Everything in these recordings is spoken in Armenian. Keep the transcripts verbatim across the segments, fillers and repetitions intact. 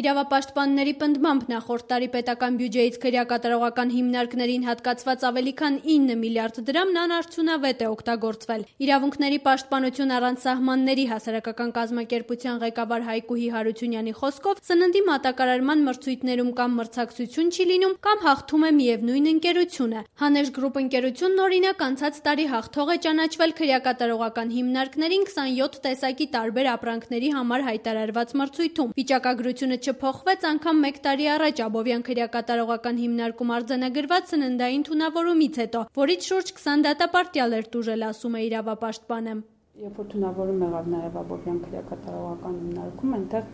Իրավապաշտպանների պնդմամբ նախորդ տարի պետական բյուջեից քրեակատարողական հիմնարկներին հատկացված ավելի քան ինը միլիարդ դրամն անարդյունավետ է օգտագործվել։ Իրավունքների պաշտպանություն առանց սահմանների հասարակական կազմակերպության ղեկավար Հայկուհի Հարությունյանի խոսքով սննդի մատակարարման մրցույթներում կամ մրցակցություն չի լինում, կամ հաղթում է միևնույն ընկերությունը։ Հանեշ գրուպ ընկերությունն օրինակ անցած տարի հաղթող է ճանաչվել քրեակատարողական հիմնարկներին քսանյոթ տեսակի տարբեր ապրանքների համար հայտարարված մրցույթում։ Վիճակագրությունը չփոխվեց անգամ մեկ տարի առաջ Աբովյան քրեակատարողական հիմնարկում արձանագրված սննդային թունավորումից հետո, որից շուրջ քսան դատապարտյալ էր տուժել, ասում է իրավապաշտպանը։ Երբ որ թունավորում եղավ նաև Աբովյան քրեակատարողական հիմնարկում, այնտեղ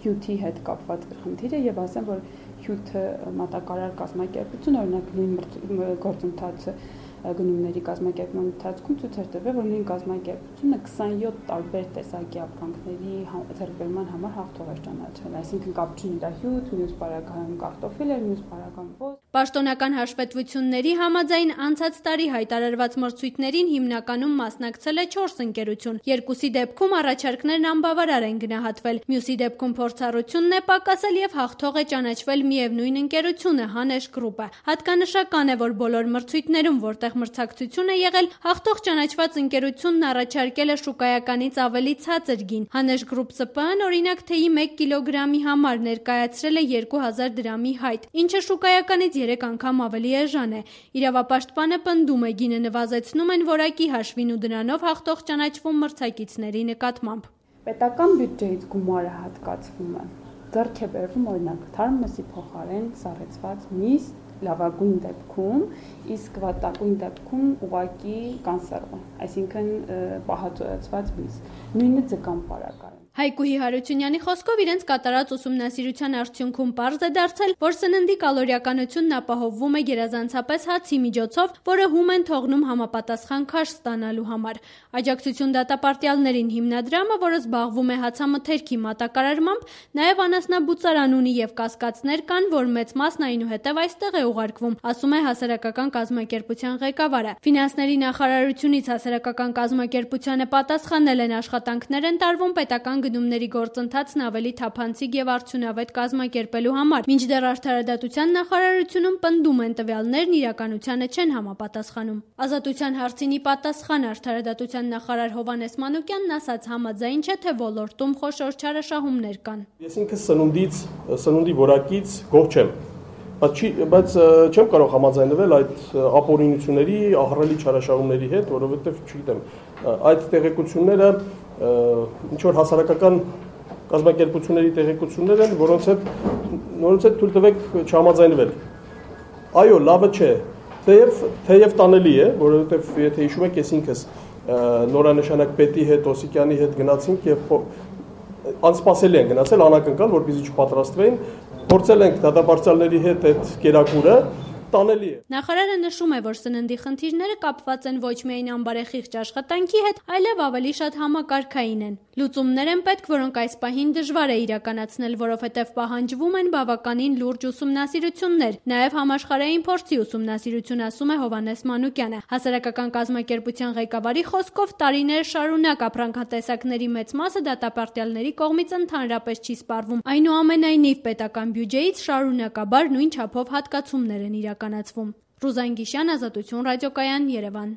հյութի հետ կապված խնդիր է եւ ասեմ, որ հյութը մատակարար կազմակերպություն, օրինակ նույն գործընթացը գնումների կազմակերպման ընթացքում ցույց էր տվել, որ նույն կազմակերպությունը քսանյոթ տարբեր տեսակի ապրանքների ձեռքբերման համար հաղթող էր ճանաչվել, այսինքն կապ չունի դա հյութ, մյուս պարագայում կարտոֆիլ էր, մյուս պարագայում ոզ։ Պաշտոնական հաշվետվությունների համաձայն անցած տարի հայտարարված մրցույթներին հիմնականում մասնակցել է չորս ընկերություն, երկուսի դեպքում առաջարկներն անբավարար են գնահատվել, մյուսի դեպքում փորձառությունն է պակասել եւ հաղթող է ճանաչվել միևնույն ընկերությունը Հանեշ գրուպը։ Հատկանշական է, որ բոլոր մրցույթներում, որտեղ մրցակցություն է եղել, հաղթող ճանաչված ընկերությունն առաջարկել է շուկայականից ավելի ցածր գին։ Հանեշ գրուպ ՍՊԸ-ն օրինակ թեյի մեկ կիլոգրամի համար ներկայացրել է երկու հազար դրամի հայտ, ինչը շուկայականից երեք անգամ ավելի էժան է։ Իրավապաշտպանը պնդում է, գինը նվազեցնում են որակի հաշվին ու դրանով հաղթող ճանաչվում մրցակիցների նկատմամբ։ Պետական բյուջեից գումարը հատկացվում է, ձեռք է բերվում օրինակ թարմ մսի փոխարեն սառեցված միս, լավագույն դեպքում, իսկ վատագույն դեպքում ուղղակի կանսերվը, այսինքն պահածոյացված միս, նույնը ձկան պարագայում։ Հայկուհի Հարությունյանի խոսքով իրենց կատարած ուսումնասիրության արդյունքում պարզ է դարձել, որ սննդի կալորիականությունն ապահովվում է գերազանցապես հացի միջոցով, որը հում են թողնում համապատասխան քաշ ստանալու համար։ Աջակցություն դատապարտյալներին հիմնադրամը, որը զբաղվում է հացամթերքի մատակարարմամբ, նաև անասնաբուծարան ունի եւ կասկածներ կան, որ մեծ մասն այնուհետև այստեղ է ուղարկվում, ասում է հասարակական կազմակերպության ղեկավարը։ Ֆինանսների նախարարությունից հասարակական կազմակերպությանը պատասխանել են աշխատանքներ են տարվում պետական գնումների գործընթացն ավելի թափանցիկ եւ արդյունավետ կազմակերպելու համար, մինչդեռ արդարադատության նախարարությունում պնդում են տվյալներն իրականությանը չեն համապատասխանում։ Ազատության հարցինի պատասխան արդարադատության նախարար Հովհաննես Մանուկյանն ասաց, համաձայն չէ, թե ոլորտում խոշոր չարաշահումներ կան։ Ես ինքս սնունդից, սնունդի որակից գոհ չեմ, բայց բայց չեմ կարող համաձայնվել այդ ապօրինությունների, ահռելի չարաշահումների հետ, որովհետեւ չգիտեմ, այդ տեղեկությունները ինչ որ հասարակական կազմակերպությունների տեղեկություններ են, որոնց հետ նորից հետ թույլ տվեք չհամաձայնվել։ Այո, լավը չէ, թեև թեև տանելի է, որովհետև եթե հիշում եք, ես ինքս նորանշանակ պետի հետ, Օսիկյանի հետ գնացինք եւ անսպասելի են գնացել, անակնկալ, որպեսզի չպատրաստվեին, փորձել ենք դատապարտյալների հետ այդ կերակուրը տանելի է։ Նախարարը նշում է, որ սննդի խնդիրները կապված են ոչ միայն անբարեխիղճ աշխատանքի հետ, այլև ավելի շատ համակարգային են։ Լուծումներ են պետք, որոնք այս պահին դժվար է իրականացնել, որովհետև պահանջվում են բավականին լուրջ ուսումնասիրություններ, նաև համաշխարհային փորձի ուսումնասիրություն, ասում է Հովհաննես Մանուկյանը։ Հասարակական կազմակերպության ղեկավարի խոսքով տարիներ շարունակ ապրանքատեսակների մեծ մասը դատապարտյալների կողմից ընդհանրապես չի սպառվում։ Այնուամենայնիվ պետական բյուջեից շարունակաբար նույն չափով հատկացումներ են իրականացվում։ Ռուզան Գիշյան, Ազատություն ռադիոկայան, Երևան։